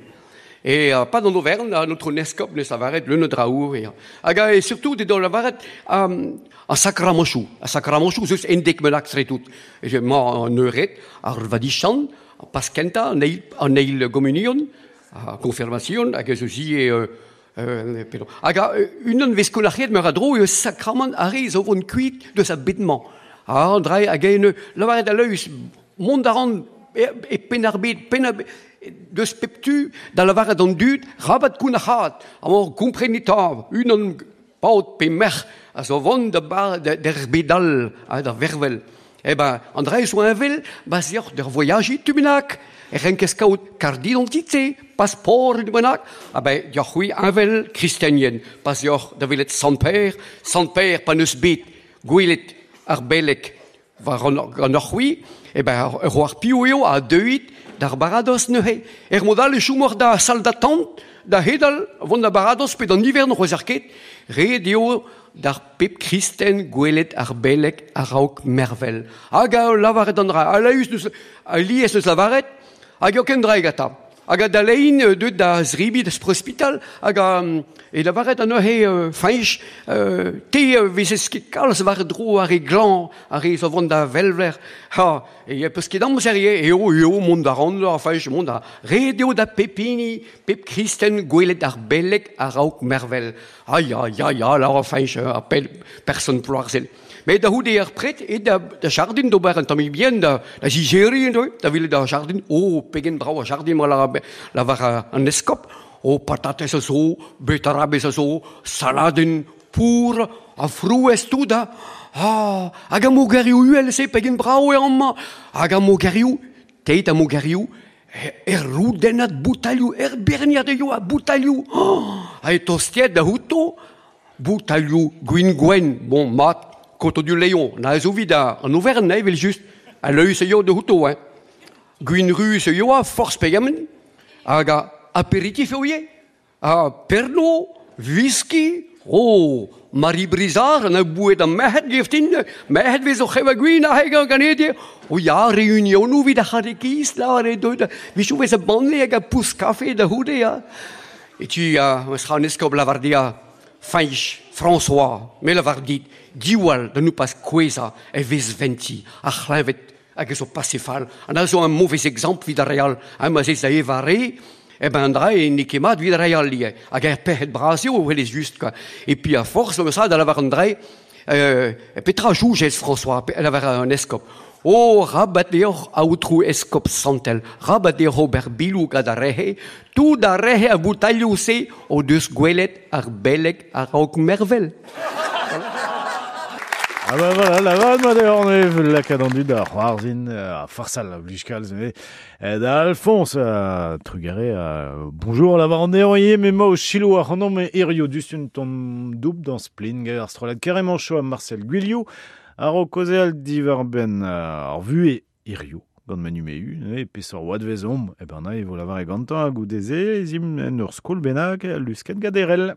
Et euh, pas dans l'Auvergne, à notre eskop ne savaret le neudraour. Et, hag a, et surtout, dans la varet, euh, a sacramanchou. A sacramanchou, zeus endek melak tout. Et je ma an euret, ar vadichan, a paskenta, an eil, an eil communion, a confirmation, hag eus zie, euh, euh, pardon. Hag a, unan vez kolac'het meur a dro, eus sacrament a re zo vont kuit de sa bedman. Ah, drai hag en lavaret a leus, mont a ran e, e penarbet, penarbet, deus peptu, da lavaret an dud, rabat koun a c'hat, amor komprenit a, unan paot pe merc'h, a zo vont da bar der bedal, ha, da vervel. Eh ben, an drai zo envel, ba zioc'h der voyaji tumenak, e renkez kaout carte d'identité, passeport tumenak, ah ben, dioc'h c'hwi envel kristenien, pa zioc'h da welet Sant-Père, Sant-Père pa neus bet, gwelet ar belek war an, an ar c'hwi, e ben, ur ar piou eo a deuit d'ar baradoz neuze. Er modal e choumor da sal d'attente, da hedal, vont da baradoz pe d'an ivern c'hoaz ar ket, ret eo d'ar pep kristen gwelet ar belek a-raok mervel. Hag a lavaret an dra, a laüs neus, a lies neus lavaret, hag eo ken dra gata. Hag a da lein deut da zribi da sprospital, hag a, e lavaret an neuze euh, fañch, euh, te vezez ket kalz war dro ar re glan, ar re zo vont da velver, ha, e peus ket amzer eo, eo, eo, mont da ran, ar fañch, mont da ret eo da pepini, pep kristen gwelet ar belek a-raok mervel. Ah ya, ya, ya, la ar fañch, ar pel, person ploarzel. Mais da houde ar pret e da, da jardin d'ober an tamm bien da, da zigeri da welet da jardin, oh, pegen brao a jardin ma la, la war an eskop, oh, patates a zo, betarabez a zo, saladen, pour, a frouez tout da, ah, hag a mogerioù uhel se, pegen brao e amañ, hag a mogerioù, teit a mogerioù, er roudennad boutalioù, er berniad eo a boutalioù, oh, ha e tostiet da houto, boutalioù gwin gwen, bon, mat, Koto du Léon, na ez ovid an Auvergne, evel just, a leus eo de houto, hein. Gwin ruz eo a forz pegement, hag a apéritif eo eo, a Pernod, whisky, oh, Marie Brizard, an a bouet an merc'hed geftin, merc'hed vez o c'hev a gwin a heg an ganedie, o ya, reunionou vid a c'hadekiz, la, re deut, vichou vez a banle hag a pous kafe da houde, ya. E tu, a, eus ra an eskob lavardia, Fañch, François, me lavar dit, diwall da nou pas koueza e vez venti, ar c'hleñvet hag eus o pasefal. An a zo un mauvais exemple vid ar real, hein, ma zez da eva re, eh ben an dra e n'eo ket mat vid ar real ivez. Hag ar pec'hed bras eo, welez just, quoi. Et puis a force, comme ça, da lavar an dra, euh, petra joujez François, lavar an eskop. Oh, rabat deoc'h aotrou eskop santel, rabat deoc'h ober bilou gant ar rehe, tout ar rehe a boutalioù se o deus gwelet ar beleg a-raok mervel. Ah ben voilà, la vanne ma deoc'h nev lakaat an dud da c'hoarzhin a farsal a blij kalz ne da Alphonse a trugare a bonjour la var an deoc'h ivez me ma o chilo ar c'hanomp me hirio dustun ton doub dans splin ar strollad carrément chaud a Marcel Guillou ar o kozeal divar ben ar vue hirio gant manu meu, e peseurt oad vez omp, e ben na e vo lavar e gantañ hag goudeze ez im en ur skol bennak lusket gaderel.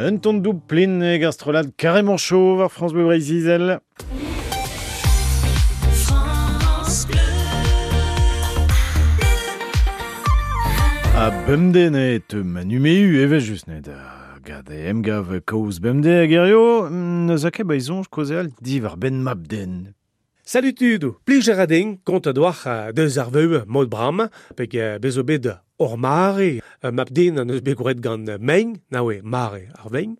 Un ton doub plin e gastrolad carrément chaud war France Bleu Breizh-Izel. France Bleu. A bemde ne te manumeu eve just ne da gade emgav kaoz bemde hag erio neus a ket ba izonj kaozeal divar ben mabden. Salut tudo, plij a din kont a doar deus ar veu mod bram, peg bezo bet or mare, mabden an eus bet gouret gant mein, naoe mare ar vein.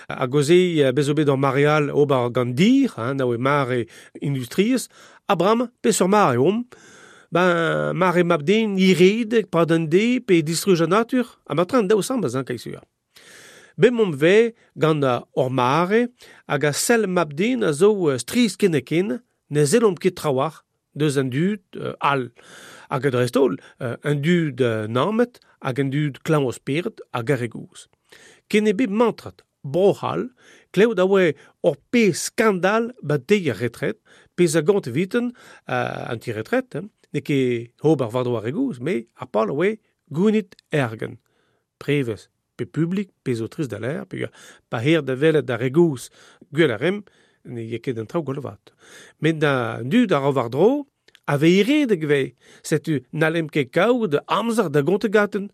Hag oze bezo bet ar mareal ober gant dir, hein, naoe mare industriez, a bram peseurt mare om. Ben, mare mabden ired, pad an de, pe distruj an natur, a matran daou sambaz an kaisur. Bem omp ve gant or mare, hag a sel mabden a zo striz ken ne zellomp ket trawar deus an dud euh, all. Hag a dreist-holl, euh, an dud euh, nammet hag an dud klañv o spered hag ar regouz. Ken e bet mantrat, bro-c'hall, klevet a oe ur pe skandal ba deiz ar retret, pezh a gont eviten euh, an ti-retret, hein, n'eo ket ober war-dro ar regouz, me ar pal a oe gounit ergen. Prevez, pe publik, pe zo trist da l'air, pe pa her da welet ar regouz gwell a rem, ne ye ket an traoù gwell vat. Met da dud ar war-dro, A veiredek ve, setu n'allem ket kaout amzer da gontegaten.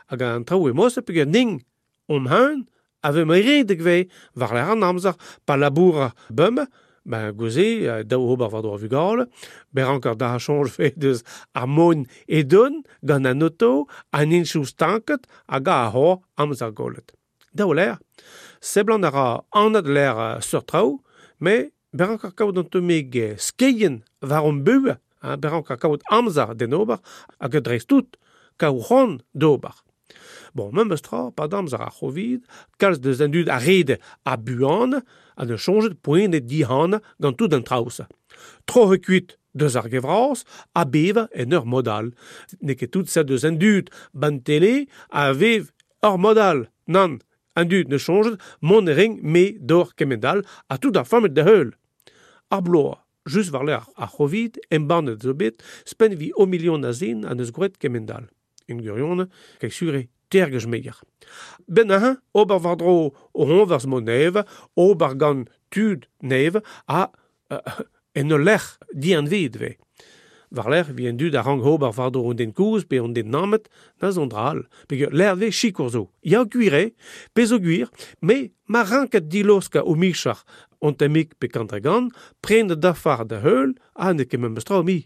Hag an traoù e mos peogwir ning om hun, a ve meiredek ve, war l'er an amzer, pa laboura bum, ben gouze, daou ober war dro vugale, ber ankar da chanj fe deus ar mon edon gant an oto, an inchou stanket, hag a hor amzer golet. Daou l'er, seblant a ra anad l'er sur traoù, me ber ankar kaout an tomeg skeien war an bue, hein, ber ankar kaout amzer den ober, hag dreist tout kaout c'hoant d'ober. Bon, memes tra, pa damzer ar c'hovid, kalz deus an dud a rede a buan, a ne chonjet poent e dihan gant tout an traoù. Tro kuit deus ar gevraz, a beva en ur modal. N'eo ket tout set deus an dud ban tele a vev ur modal. Nan, an dud ne chonjet mont ring me d'or kemendal a tout ar fammet da heul. Ar bloa, just war l'er ar c'hovid, embannet zo bet, spen vi o million a zin an eus gwret kemendal. En gurion, kek sure tergej meier. Ben aha, ober war dro o honvers mo neve, ober gant tud neve, a uh, en ul lec'h dianved ve. War lec'h vi en dud a rang ober war dro an den kouz pe an den nammet, na zon dral. Peogwir lec'h ve sikour zo. Ya gwir pe zo gwir, me ma ranket diloska o michar on temik pe kantregan, pren da dafar da heul, a ne ket memes tra mi.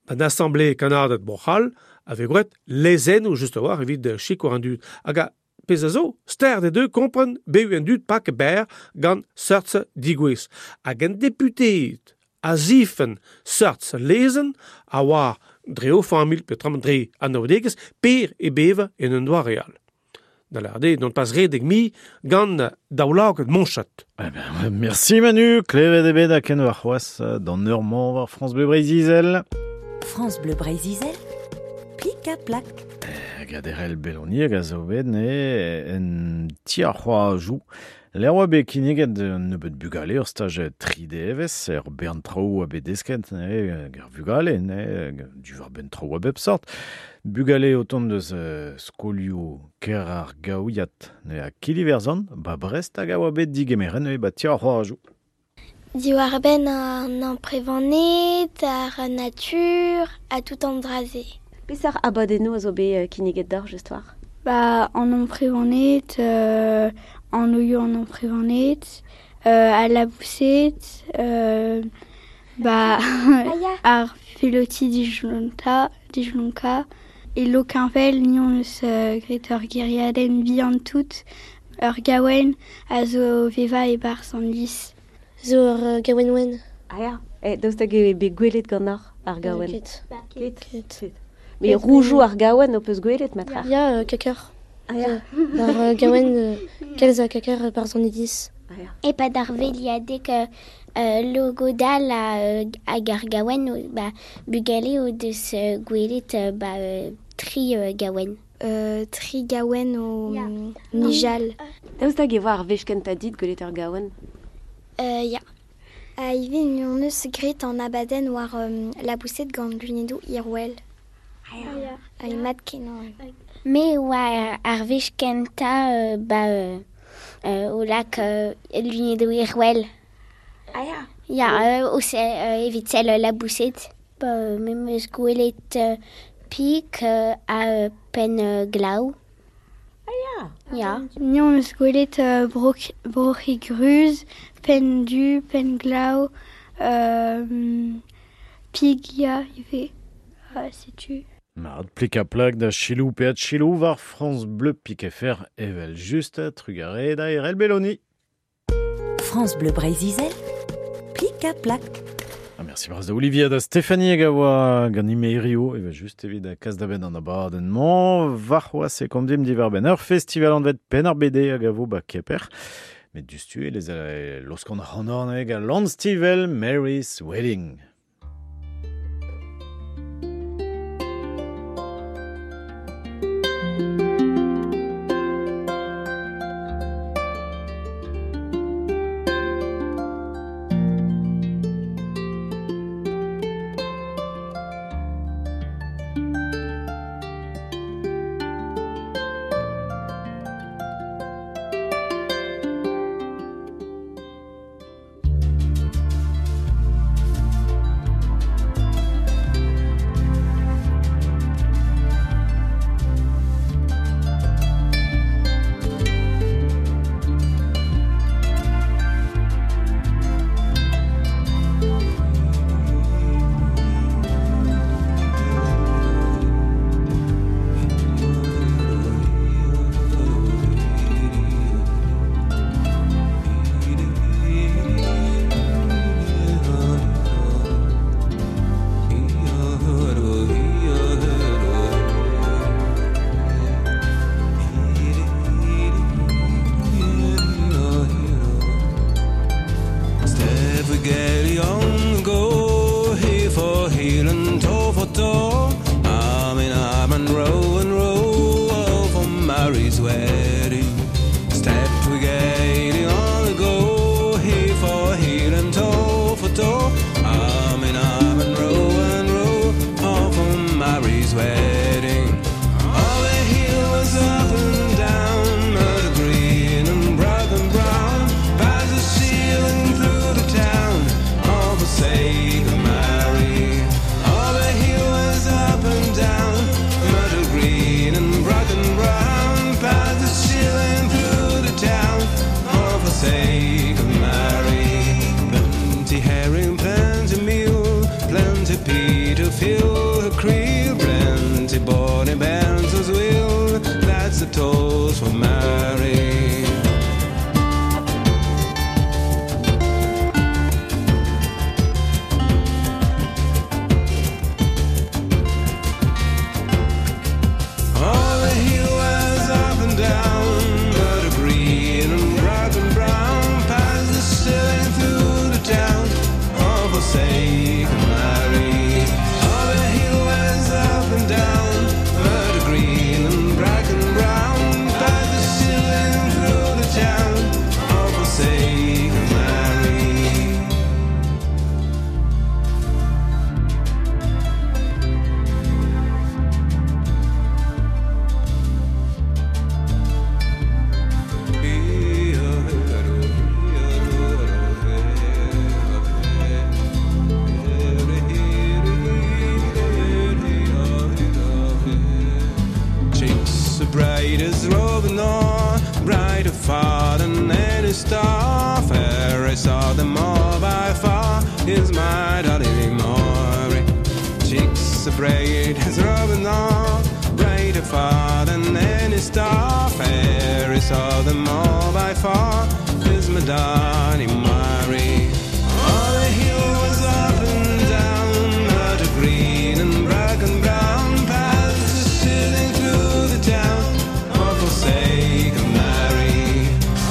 Ban assemblée kanadet Bro-C'hall a vez gwret lezennoù just a war evit sikour an dud. Hag a pezh a zo, ster de deux kompren beu an dud pak ber gant seurtse digouez. Hag an deputeed a zifen seurtse lezen a war dre o familh pe tram dre an naoudegez per e beva en un doa real. Da l'ar non pas redek mi gant daoulaget monchat. Eh ben, merci Manu, klevet ebet a ken war c'hoazh d'an eur-mañ war France Bleu Breizh-Izel. France Bleu Breizh-Izel, plik a plak. Hag aderel Beloni hag a zo bet ne en ti ar c'hoajou. L'er oa bet kinniget un nebeut bugale ur staj tri devez, er bern traoù a bet desket, ne, ar vugale, ne, du war ben traoù a bep sort. Bugale o tont deus uh, skolioù ker ar gaouiat, ne, a Kiliverzon, ba Brest hag a oa bet digemeren, ne, ba ti ar c'hoajou. Diwar ben an amprevaned, ar natur, a tout an draze. Peseurt abadennoù a zo bet kinniget d'or just war? Ba, an amprevaned, euh, an oioù an amprevaned, euh, a laboused, euh, ba, ar feloti dijlonta, dijlonka, e lokinvel nion eus euh, gret ur geriadenn bihan tout, ur gaouen a zo veva e bar an lis. Zo ur uh, gaouen wen. Ah ya, e daoust hag eo bet gwelet gant ar, ar gaouen? Ket. Ket. Ket. Mais roujoù ar gaouen o peus gwelet matra? Ya, euh, kakar. Ah ya. Ar uh, gaouen, euh, kalz a kakar euh, par an idis. Ah ya. E pa d'ar veliadek euh, euh, logodal a, euh, hag ar gaouen, ba, bugale o deus euh, gwelet euh, ba, euh, tri euh, gaouen. Euh, tri gaouen o yeah. nijal. Daoust hag e oa ar wech kentañ dit gwelet ur gaouen? Euh, ya. A ivez n'on eus gret an abadenn war um, laboused gant lunedou Irwell. Ah ya. Ah, mat kenañ. Me oa ar wech kentañ euh, ba euh, euh, o lak euh, lunedou Irwell. Ah ya. Ya, euh, o se, euh, evit sell laboused. Ba, euh, me meus gwelet euh, pik euh, a euh, penn euh, glaou. Ah ya. Ya. Ni on eus gwelet euh, brok, broc'hig ruz, penn du, penn glaou, euh, pig ya ivez. Ah, setu. Mat, plik a plak da chilou pe at chilou war France Bleu pik F R evel just trugare da Erel Belloni. France Bleu Breizh-Izel, plik a plak. Ah, merci bras da Olivier da Stéphanie hag a oa gant imerio evel just evit a kas da ben an abadenn-mañ war c'hoazh e komzimp diwar ben ur festival anvet Penn ar B D hag a vo ba Keper. Met dustu e les a loskant c'hanorn hag a Lannstivel Mary's Wedding. Thank and row and row, all for Mary's wedding. Step we getting on the go, heel for heel and toe for toe. Arm in arm and row and row, all for Mary's wedding. All the hills up and down, murder green and brown and brown, past the ceiling through the town, all for sake of Mary. All the hills up and down, murder green and brown and brown, past the ceiling through the town, all for sake of Mary. Plenty herring, plenty meal, plenty pea to fill her creel, plenty bonny bands as well. That's the toast for Mary. All the hills up and down, murder green and black and brown, past the ceiling through the town, all for sake of Mary. All the hills up and down, murder green and black and brown, past the ceiling through the town, all for sake of Mary. Cheeks are bright as robin or brighter far than any star. Fairest of them all by far is my darling Maury. Cheeks are bright as robin or brighter far than any star. Fairest of them all by far is my darling Maury. All the hills up and down, murder green and black and brown, past the ceiling through the town, all for sake of Mary.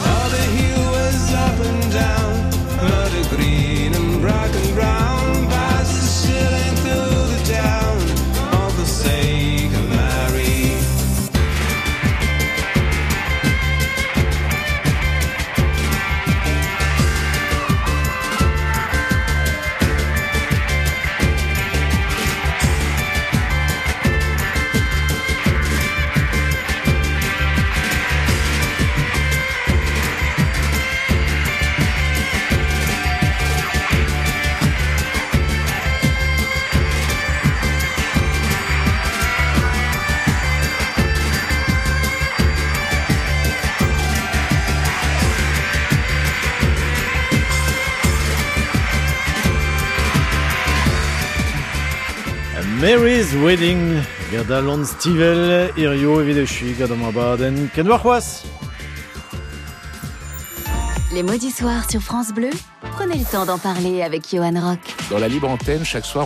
All the hills up and down, murder green and black and brown, past the ceiling through the town, all for sake of Mary. Mary's Wedding, gant Alan Stivell, hirio evit echuiñ gant an abadenn ken warc'hoazh. Les mots du soir sur France Bleu, prenez le temps d'en parler avec Johan Rock. Dans la libre antenne, chaque soir,